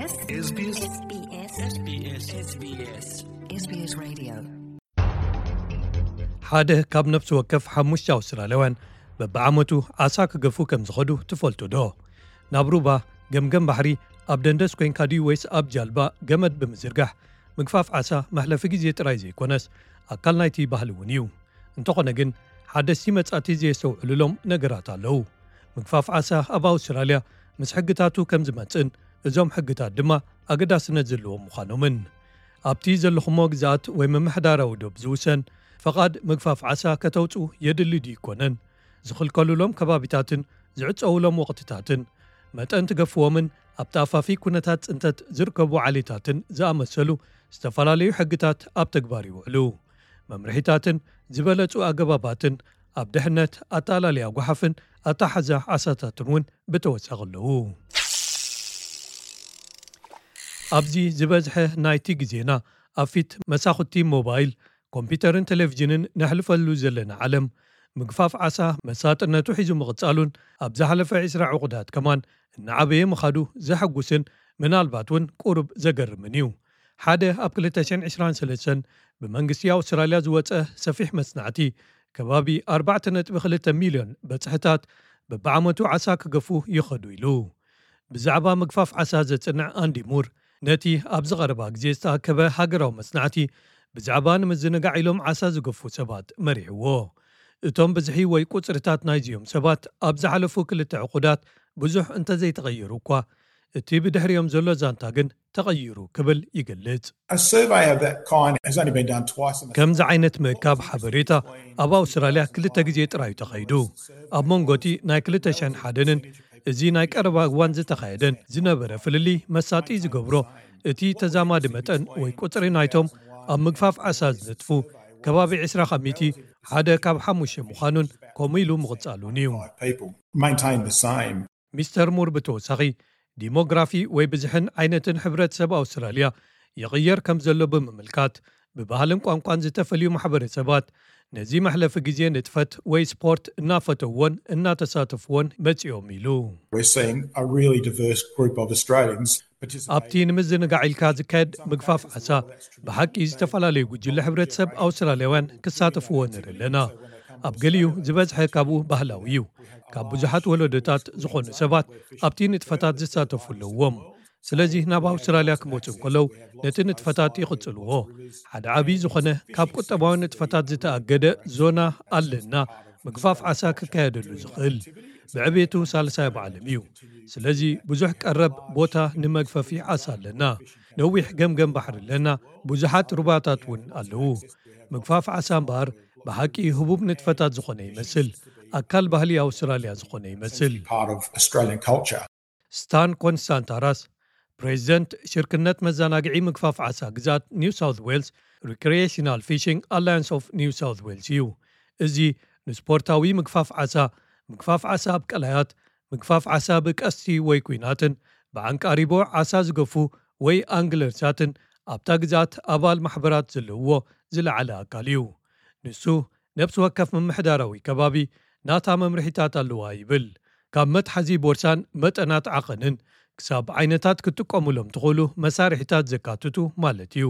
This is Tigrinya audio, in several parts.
SBS SBS SBS SBS Radio. ሓደ ካብ ነፍሲ ወከፍ ሓሙሽተ ኣውስትራልያውያን በብዓመቱ ዓሳ ክገፉ ከም ዝኸዱ ትፈልጡ ዶ? ናብ ሩባ፣ ገምገም ባሕሪ፣ ኣብ ደንደስ ኮይንካ ድዩ ወይስ ኣብ ጃልባ ገመድ ብምዝርጋሕ ምግፋፍ ዓሳ መሕለፊ ግዜ ጥራይ ዘይኮነስ ኣካል ናይቲ ባህሊ እውን እዩ። እንተኾነ ግን ሓደስቲ መጻእቲ ዘየስተውዕሉሎም ነገራት ኣለዉ። ምግፋፍ ዓሳ ኣብ ኣውስትራልያ ምስ ሕግታቱ ከም ዝመጽእን እዞም ሕግታት ድማ ኣገዳስነት ዘለዎም ምዃኖምን። ኣብቲ ዘለኹሞ ግዝኣት ወይ ምምሕዳራዊ ዶብ ዝውሰን ፈቓድ ምግፋፍ ዓሳ ከተውጽኡ የድሊ ድዩ ይኮነን? ዝኽልከሉሎም ከባቢታትን ዝዕጸውሎም ወቕትታትን፣ መጠን ትገፍዎምን ኣብ ተኣፋፊ ኩነታት ጽንተት ዝርከቡ ዓሌታትን ዝኣመሰሉ ዝተፈላለዩ ሕግታት ኣብ ተግባር ይውዕሉ። መምርሒታትን ዝበለጹ ኣገባባትን ኣብ ድሕነት፣ ኣተኣላልያ ጓሓፍን ኣተሓዛ ዓሳታትን እውን ብተወሳኺ ኣለዉ። ኣብዚ ዝበዝሐ ናይቲ ግዜና ኣብ ፊት መሳኹቲ ሞባይል፣ ኮምፒተርን ቴሌቪዥንን ነሕልፈሉ ዘለና ዓለም፣ ምግፋፍ ዓሳ መሳጥነቱ ሒዙ ምቕጻሉን ኣብ ዝሓለፈ ዕስራ ዕቑዳት ከማን እናዓበየ ምኻዱ ዘሐጉስን ምናልባት እውን ቁሩብ ዘገርምን እዩ። ሓደ ኣብ ክልተ ሽሕን ዕስራን ሰለስተን ብመንግስቲ ኣውስትራልያ ዝወጸ ሰፊሕ መጽናዕቲ፣ ከባቢ ኣርባዕተ ነጥቢ ክልተ ሚልዮን በጽሕታት በብዓመቱ ዓሳ ክገፉ ይኸዱ ኢሉ። ብዛዕባ ምግፋፍ ዓሳ ዘጽንዕ ኣንዲ ሙር፣ ነቲ ኣብዚ ቀረባ ግዜ ዝተኣከበ ሃገራዊ መጽናዕቲ ብዛዕባ ንምዝንጋዕ ኢሎም ዓሳ ዝገፉ ሰባት መሪሕዎ። እቶም ብዝሒ ወይ ቁጽርታት ናይዚኦም ሰባት ኣብ ዝሓለፉ ክልተ ዕቑዳት ብዙሕ እንተዘይተቐየሩ እኳ፣ እቲ ብድሕሪኦም ዘሎ ዛንታ ግን ተቐይሩ ክብል ይገልጽ። A survey of that kind has only been done twice in ከምዚ ዓይነት ምእካብ ሓበሬታ ኣብ ኣውስትራልያ ክልተ ግዜ ጥራዩ ተኻይዱ። ኣብ መንጎ እቲ ናይ ክልተ ሽሕን ሓደን እዚ ናይ ቀረባ እዋን ዝተኻየደን ዝነበረ ፍልልይ መሳጢ ዝገብሮ፣ እቲ ተዛማዲ መጠን ወይ ቁጽሪ ናይቶም ኣብ ምግፋፍ ዓሳ ዝነጥፉ ከባቢ ዕስራ ካብ ሚእቲ፣ ሓደ ካብ ሓሙሽተ ምዃኑን ከምኡ ኢሉ ምቕጻሉን እዩ። people maintain the same. ሚስተር ሙር ብተወሳኺ፣ ዲሞግራፊ ወይ ብዝሕን ዓይነትን ሕብረተሰብ ኣውስትራልያ ይቕየር ከም ዘሎ ብምምልካት፣ ብባህልን ቋንቋን ዝተፈልዩ ማሕበረሰባት ነዚ መሕለፊ ግዜ ንጥፈት ወይ ስፖርት እናፈተውዎን እናተሳተፍዎን መጺኦም ኢሉ። We're seeing a really diverse group of Australians participate. ኣብቲ ንምዝንጋዕ ኢልካ ዝካየድ ምግፋፍ ዓሳ ብሓቂ ዝተፈላለዩ ጉጅለ ሕብረተሰብ ኣውስትራልያውያን ክሳተፍዎ ንርኢ ኣለና። ኣብ ገሊኡ ዝበዝሐ ካብኡ ባህላዊ እዩ። ካብ ብዙሓት ወለዶታት ዝኾኑ ሰባት ኣብቲ ንጥፈታት ዝሳተፉ ኣለዎም። ስለዚ ናብ ኣውስትራልያ ክመጹ እንከለዉ ነቲ ንጥፈታት ይቕጽልዎ። ሓደ ዓብዪ ዝኾነ ካብ ቁጠባዊ ንጥፈታት ዝተኣገደ ዞና ኣለና፣ ምግፋፍ ዓሳ ክካየደሉ ዝኽእል። ብዕቤቱ ሳልሳይ ኣብ ዓለም እዩ። ስለዚ ብዙሕ ቀረብ ቦታ ንመግፈፊ ዓሳ ኣለና። ነዊሕ ገምገም ባሕሪ ኣለና። ብዙሓት ሩባታት እውን ኣለዉ። ምግፋፍ ዓሳ እምበኣር ብሓቂ ህቡብ ንጥፈታት ዝኾነ ይመስል። ኣካል ባህሊ ኣውስትራልያ ዝኾነ ይመስል። Part of Australian culture. ስታን ኮንስታንታራስ፣ ፕሬዚደንት ሽርክነት መዘናግዒ ምግፋፍ ዓሳ ግዝኣት ኒው ሳውት ዌልስ፣ ሪክሪኤሽናል ፊሽንግ ኣላያንስ ኦፍ ኒው ሳውት ዌልስ እዩ። እዚ ንስፖርታዊ ምግፋፍ ዓሳ፣ ምግፋፍ ዓሳ ኣብ ቀላያት፣ ምግፋፍ ዓሳ ብቀስቲ ወይ ኲናትን ብዓንቃሪቦ ዓሳ ዝገፉ ወይ ኣንግለርሳትን ኣብታ ግዝኣት ኣባል ማሕበራት ዘለውዎ ዝለዓለ ኣካል እዩ። ንሱ ነብሲ ወከፍ ምምሕዳራዊ ከባቢ ናታ መምርሒታት ኣለዋ ይብል። ካብ መትሓዚ ቦርሳን መጠናት ዓቐንን ክሳብ ዓይነታት ክትጥቀሙሎም ትኽእሉ መሳርሒታት ዘካትቱ ማለት እዩ።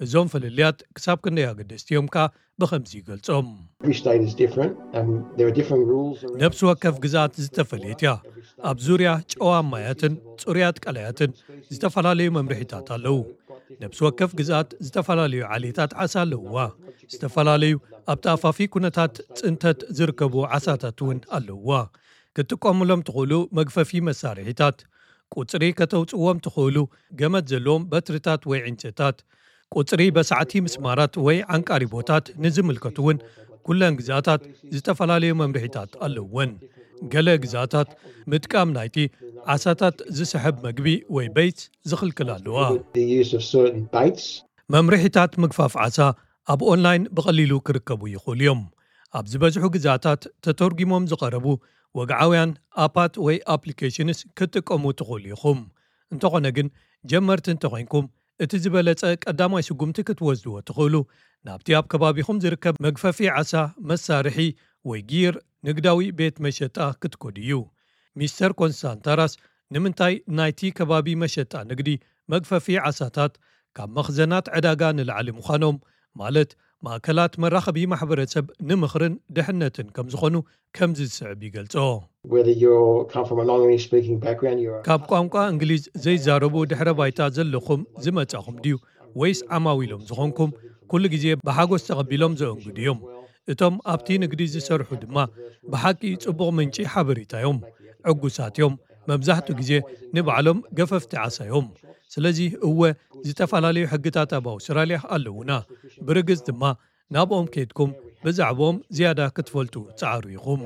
እዞም ፍልልያት ክሳብ ክንደይ ኣገደስቲ እዮም ከኣ ብኸምዚ ይገልጾም። Every state is different and there are different rules around ነብሲ ወከፍ ግዝኣት ዝተፈለየት እያ። ኣብ ዙርያ ጨዋ ማያትን ጽሩያት ቀላያትን ዝተፈላለዩ መምርሒታት ኣለዉ። ነብሲ ወከፍ ግዝኣት ዝተፈላለዩ ዓሌታት ዓሳ ኣለውዋ። ዝተፈላለዩ ኣብ ተኣፋፊ ኩነታት ጽንተት ዝርከቡ ዓሳታት እውን ኣለውዋ። ክትጥቀሙሎም ትኽእሉ መግፈፊ መሳርሒታት፣ ቁጽሪ ከተውጽዎም ትኽእሉ ገመድ ዘለዎም በትርታት ወይ ዕንጨታት፣ ቁጽሪ በሳዕቲ ምስማራት ወይ ዓንቃሪቦታት ንዝምልከቱ እውን ኩለን ግዝኣታት ዝተፈላለዩ መምርሒታት ኣለውወን። ገለ ግዝኣታት ምጥቃም ናይቲ ዓሳታት ዝስሕብ መግቢ ወይ በይት ዝኽልክል ኣለዋ። the use of certain baits. መምርሒታት ምግፋፍ ዓሳ ኣብ ኦንላይን ብቐሊሉ ክርከቡ ይኽእሉ እዮም። ኣብ ዝበዝሑ ግዝኣታት ተተርጒሞም ዝቐረቡ ወግዓውያን ኣፓት ወይ ኣፕሊኬሽንስ ክትጥቀሙ ትኽእሉ ኢኹም። እንተኾነ ግን፣ ጀመርቲ እንተኾይንኩም፣ እቲ ዝበለጸ ቀዳማይ ስጉምቲ ክትወስድዎ ትኽእሉ ናብቲ ኣብ ከባቢኹም ዝርከብ መግፈፊ ዓሳ መሳርሒ ወይ ጊር ንግዳዊ ቤት መሸጣ ክትከዱ እዩ። ሚስተር ኮንስታንታራስ ንምንታይ ናይቲ ከባቢ መሸጣ ንግዲ መግፈፊ ዓሳታት ካብ መኽዘናት ዕዳጋ ንላዕሊ ምዃኖም፣ ማለት ማእከላት መራኸቢ ማሕበረሰብ ንምኽርን ድሕነትን ከም ዝኾኑ ከምዚ ዝስዕብ ይገልጾ። ካብ ቋንቋ እንግሊዝ ዘይዛረቡ ድሕረ ባይታ ዘለኹም ዝመጻኹም ድዩ ወይስ ዓማዊሎም ዝኾንኩም? ኩሉ ግዜ ብሓጎስ ተቐቢሎም ዘእንግዱ እዮም። እቶም ኣብቲ ንግዲ ዝሰርሑ ድማ ብሓቂ ጽቡቕ ምንጪ ሓበሬታ እዮም። ዕጉሳት እዮም። መብዛሕትኡ ግዜ ንባዕሎም ገፈፍቲ ዓሳ እዮም። ስለዚ እወ፣ ዝተፈላለዩ ሕግታት ኣብ ኣውስትራልያ ኣለዉና። ብርግጽ ድማ ናብኦም ከድኩም ብዛዕባኦም ዝያዳ ክትፈልጡ ጸዓሩ ኢኹም።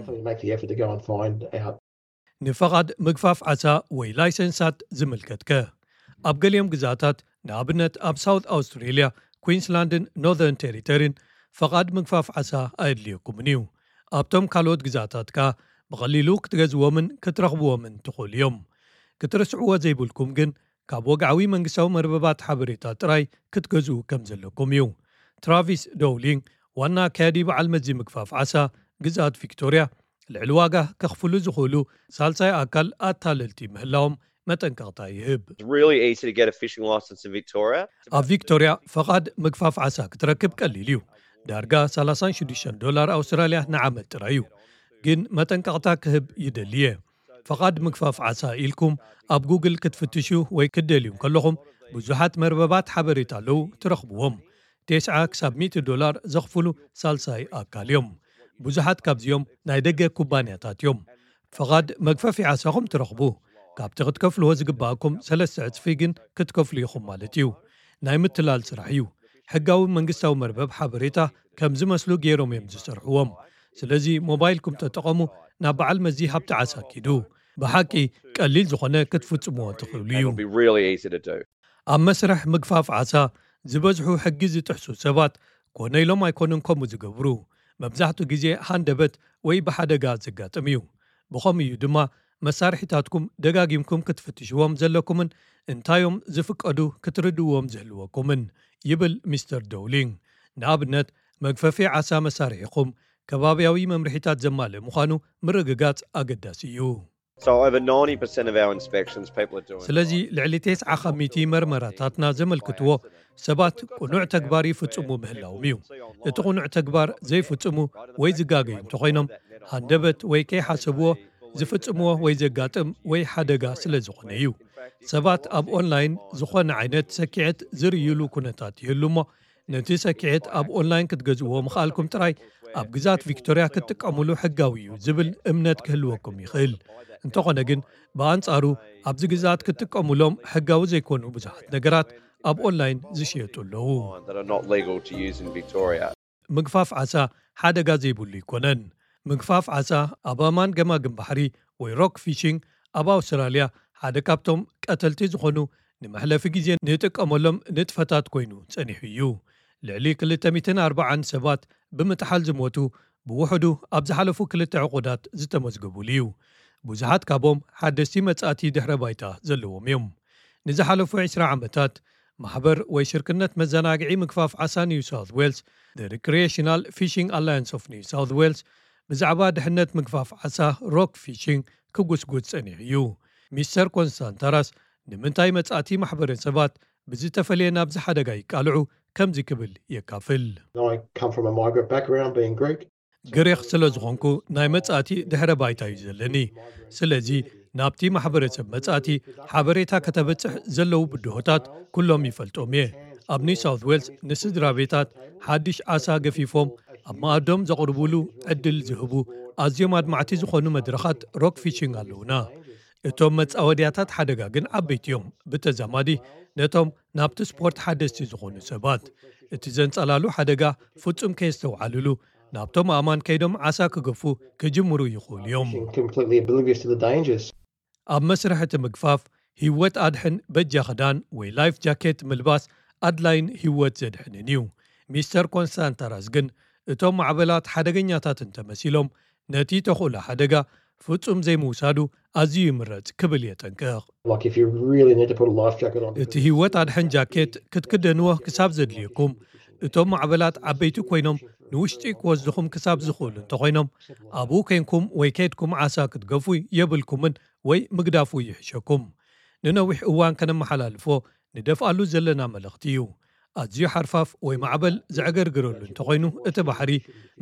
ንፈቓድ ምግፋፍ ዓሳ ወይ ላይሰንሳት ዝምልከትከ? ኣብ ገሊኦም ግዛታት፣ ንኣብነት ኣብ ሳውት ኣውስትሬልያ፣ ኩንስላንድን ኖርዘርን ቴሪተሪን፣ ፈቓድ ምግፋፍ ዓሳ ኣየድልየኩምን እዩ። ኣብቶም ካልኦት ግዛታት ከኣ ብቐሊሉ ክትገዝዎምን ክትረኽብዎምን ትኽእሉ እዮም። ክትርስዕዎ ዘይብልኩም ግን፣ ካብ ወግዓዊ መንግስታዊ መርበባት ሓበሬታ ጥራይ ክትገዝኡ ከም ዘለኩም እዩ። ትራቪስ ዶውሊንግ፣ ዋና ኣካያዲ በዓል መዚ ምግፋፍ ዓሳ ግዝኣት ቪክቶርያ፣ ልዕሊ ዋጋ ከኽፍሉ ዝኽእሉ ሳልሳይ ኣካል ኣታለልቲ ምህላዎም መጠንቀቕታ ይህብ። ኣብ ቪክቶርያ ፈቓድ ምግፋፍ ዓሳ ክትረክብ ቀሊል እዩ። ዳርጋ ሰላሳን ሽዱሽተን ዶላር ኣውስትራልያ ንዓመት ጥራይ እዩ። ግን መጠንቀቕታ ክህብ ይደሊ እየ። ፈቓድ ምግፋፍ ዓሳ ኢልኩም ኣብ ጉግል ክትፍትሹ ወይ ክትደልዩ ከለኹም፣ ብዙሓት መርበባት ሓበሬታ ኣለዉ፣ ትረኽብዎም። ተስዓ ክሳብ ሚእቲ ዶላር ዘኽፍሉ ሳልሳይ ኣካል እዮም። ብዙሓት ካብዚኦም ናይ ደገ ኩባንያታት እዮም። ፈቓድ መግፈፊ ዓሳኹም ትረኽቡ። ካብቲ ክትከፍልዎ ዝግባኣኩም ሰለስተ ዕጽፊ ግን ክትከፍሉ ኢኹም ማለት እዩ። ናይ ምትላል ስራሕ እዩ። ሕጋዊ መንግስታዊ መርበብ ሓበሬታ ከም ዝመስሉ ገይሮም እዮም ዝሰርሕዎም። ስለዚ ሞባይልኩም ተጠቐሙ፣ ናብ በዓል መዚ ሃብቲ ዓሳ ኪዱ። ብሓቂ ቀሊል ዝኾነ ክትፍጽምዎ ትኽእሉ እዩ። ኣብ መስርሕ ምግፋፍ ዓሳ ዝበዝሑ ሕጊ ዝጥሕሱ ሰባት ኮነ ኢሎም ኣይኮኑን ከምኡ ዝገብሩ። መብዛሕትኡ ግዜ ሃንደበት ወይ ብሓደጋ ዘጋጥም እዩ። ብኸምኡ እዩ ድማ መሳርሒታትኩም ደጋጊምኩም ክትፍትሽዎም ዘለኩምን እንታዮም ዝፍቀዱ ክትርድእዎም ዝህልወኩምን፣ ይብል ሚስተር ዶውሊንግ። ንኣብነት፣ መግፈፊ ዓሳ መሳርሒኹም ከባብያዊ መምርሒታት ዘማልእ ምዃኑ ምርግጋጽ ኣገዳሲ እዩ። ስለዚ ልዕሊ ተስዓ ካብ ሚእቲ መርመራታትና ዘመልክትዎ ሰባት ቅኑዕ ተግባር ይፍጽሙ ምህላዎም እዩ። እቲ ቅኑዕ ተግባር ዘይፍጽሙ ወይ ዝጋገዩ እንተኾይኖም፣ ሃንደበት ወይ ከይሓሰብዎ ዝፍጽምዎ ወይ ዘጋጥም ወይ ሓደጋ ስለ ዝኾነ እዩ። ሰባት ኣብ ኦንላይን ዝኾነ ዓይነት ሰኪዐት ዝርእይሉ ኩነታት ይህሉ እሞ፣ ነቲ ሰኪዐት ኣብ ኦንላይን ክትገዝእዎ ምኽኣልኩም ጥራይ ኣብ ግዛት ቪክቶርያ ክትጥቀሙሉ ሕጋዊ እዩ ዝብል እምነት ክህልወኩም ይኽእል። እንተኾነ ግን፣ ብኣንጻሩ ኣብዚ ግዛት ክትጥቀሙሎም ሕጋዊ ዘይኮኑ ብዙሓት ነገራት ኣብ ኦንላይን ዝሽየጡ ኣለዉ። ምግፋፍ ዓሳ ሓደጋ ዘይብሉ ኣይኮነን። ምግፋፍ ዓሳ ኣብ ኣማን ገማግም ባሕሪ ወይ ሮክ ፊሽንግ ኣብ ኣውስትራልያ ሓደ ካብቶም ቀተልቲ ዝኾኑ ንመሕለፊ ግዜ ንጥቀመሎም ንጥፈታት ኮይኑ ጸኒሑ እዩ። ልዕሊ ክልተ ሚእትን ኣርባዓን ሰባት ብምጥሓል ዝሞቱ ብውሕዱ ኣብ ዝሓለፉ ክልተ ዕቑዳት ዝተመዝገቡሉ እዩ። ብዙሓት ካብኦም ሓደስቲ መጻእቲ ድሕረ ባይታ ዘለዎም እዮም። ንዝሓለፉ ዕስራ ዓመታት ማሕበር ወይ ሽርክነት መዘናግዒ ምግፋፍ ዓሳ ኒው ሳውት ዌልስ፣ The Recreational Fishing Alliance of New South Wales፣ ብዛዕባ ድሕነት ምግፋፍ ዓሳ ሮክ ፊሽንግ ክጉስጉስ ጸኒሑ እዩ። ሚስተር ኮንስታንታራስ ንምንታይ መጻእቲ ማሕበረሰባት ብዝተፈለየ ናብዚ ሓደጋ ይቃልዑ ከምዚ ክብል የካፍል። ግሪኽ ስለ ዝኾንኩ ናይ መጻእቲ ድሕረ ባይታ እዩ ዘለኒ። ስለዚ ናብቲ ማሕበረሰብ መጻእቲ ሓበሬታ ከተበጽሕ ዘለዉ ብድሆታት ኩሎም ይፈልጦም እየ። ኣብ ኒው ሳውት ዌልስ ንስድራ ቤታት ሓድሽ ዓሳ ገፊፎም ኣብ መኣዶም ዘቕርቡሉ ዕድል ዝህቡ ኣዝዮም ኣድማዕቲ ዝኾኑ መድረኻት ሮክ ፊሽንግ ኣለዉና። እቶም መጻወድያታት ሓደጋ ግን ዓበይቲ እዮም። ብተዛማዲ ነቶም ናብቲ ስፖርት ሓደስቲ ዝኾኑ ሰባት፣ እቲ ዘንጸላሉ ሓደጋ ፍጹም ከየስተውዓልሉ ናብቶም ኣእማን ከይዶም ዓሳ ክገፉ ክጅምሩ ይኽእሉ እዮም። ኣብ መስርሕ እቲ ምግፋፍ፣ ህይወት ኣድሕን በጃ ክዳን ወይ ላይፍ ጃኬት ምልባስ ኣድላይን ህይወት ዘድሕንን እዩ። ሚስተር ኮንስታንታራስ ግን፣ እቶም ማዕበላት ሓደገኛታት እንተመሲሎም፣ ነቲ ተኽእሎ ሓደጋ ፍጹም ዘይምውሳዱ ኣዝዩ ይምረጽ ክብል የጠንቅቕ። እቲ ህይወት ኣድሕን ጃኬት ክትክደንዎ ክሳብ ዘድልየኩም፣ እቶም ማዕበላት ዓበይቲ ኮይኖም ንውሽጢ ክወስድኹም ክሳብ ዝኽእሉ እንተኾይኖም፣ ኣብኡ ኮይንኩም ወይ ከድኩም ዓሳ ክትገፉ የብልኩምን ወይ ምግዳፉ ይሕሸኩም። ንነዊሕ እዋን ከነመሓላልፎ ንደፍኣሉ ዘለና መልእኽቲ እዩ። ኣዝዩ ሓርፋፍ ወይ ማዕበል ዘዕገርግረሉ እንተኾይኑ፣ እቲ ባሕሪ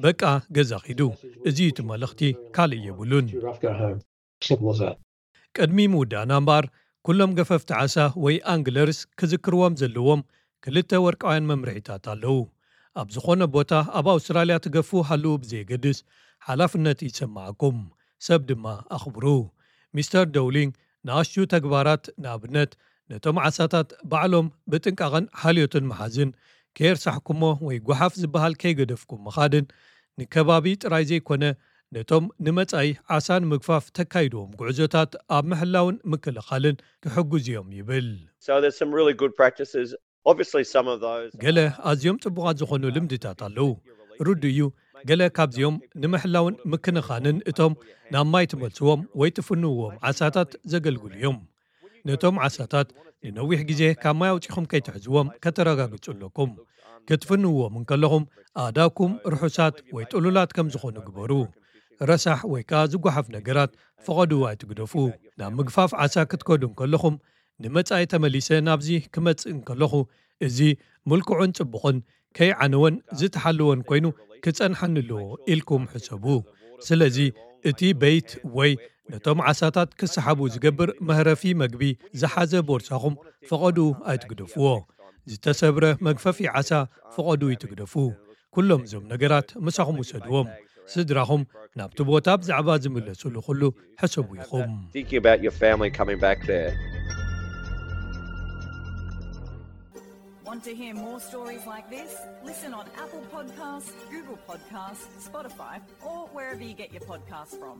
በቃ ገዛ ኺዱ። እዚ እዩ እቲ መልእኽቲ፣ ካልእ የብሉን። ቅድሚ ምውዳእና እምበኣር፣ ኩሎም ገፈፍቲ ዓሳ ወይ ኣንግለርስ ክዝክርዎም ዘለዎም ክልተ ወርቃውያን መምርሒታት ኣለዉ። ኣብ ዝኾነ ቦታ ኣብ ኣውስትራልያ ትገፉ ሃልዉ ብዘየገድስ፣ ሓላፍነት ይሰማዓኩም፣ ሰብ ድማ ኣኽብሩ። ሚስተር ዶውሊንግ ንኣሽቱ ተግባራት፣ ንኣብነት ነቶም ዓሳታት ባዕሎም ብጥንቃቐን ሓልዮትን ምሓዝን፣ ከየርሳሕኩሞ ወይ ጓሓፍ ዝበሃል ከይገደፍኩም ምኻድን፣ ንከባቢ ጥራይ ዘይኮነ ነቶም ንመጻኢ ዓሳ ንምግፋፍ ተካይድዎም ጉዕዞታት ኣብ ምሕላውን ምክልኻልን ክሕግዙ እዮም ይብል። So there's some really good practices. Obviously, some of those ገለ ኣዝዮም ጽቡቓት ዝኾኑ ልምድታት ኣለዉ። ርዱእ እዩ፣ ገለ ካብዚኦም ንምሕላውን ምክንኻንን እቶም ናብ ማይ ትመልስዎም ወይ ትፍንውዎም ዓሳታት ዘገልግሉ እዮም። ነቶም ዓሳታት ንነዊሕ ግዜ ካብ ማይ ኣውጺኹም ከይትሕዝዎም ከተረጋግጹ ኣለኩም። ክትፍንውዎም እንከለኹም ኣእዳውኩም ርሑሳት ወይ ጥሉላት ከም ዝኾኑ ግበሩ። ረሳሕ ወይ ከኣ ዝጓሓፍ ነገራት ፈቐዱ ኣይትግደፉ። ናብ ምግፋፍ ዓሳ ክትከዱ እንከለኹም፣ ንመጻኢ ተመሊሰ ናብዚ ክመጽእ እንከለኹ፣ እዚ ምልኩዕን ጽቡቕን ከይዓነወን ዝተሓለወን ኮይኑ ክጸንሓኒ ኣለዎ ኢልኩም ሕሰቡ። ስለዚ እቲ በይት ወይ ነቶም ዓሳታት ክሰሓቡ ዝገብር መህረፊ መግቢ ዝሓዘ ቦርሳኹም ፈቐዱ ኣይትግደፍዎ። ዝተሰብረ መግፈፊ ዓሳ ፈቐዱ ይትግደፉ። ኩሎም እዞም ነገራት ምሳኹም ውሰድዎም። ስድራኹም ናብቲ ቦታ ብዛዕባ ዝምለሱሉ ኩሉ ሕሰቡ ኢኹም። Thinking about your family coming back there. Want to hear more stories like this? Listen on Apple Podcasts, Google Podcasts, Spotify, or wherever you get your podcasts from.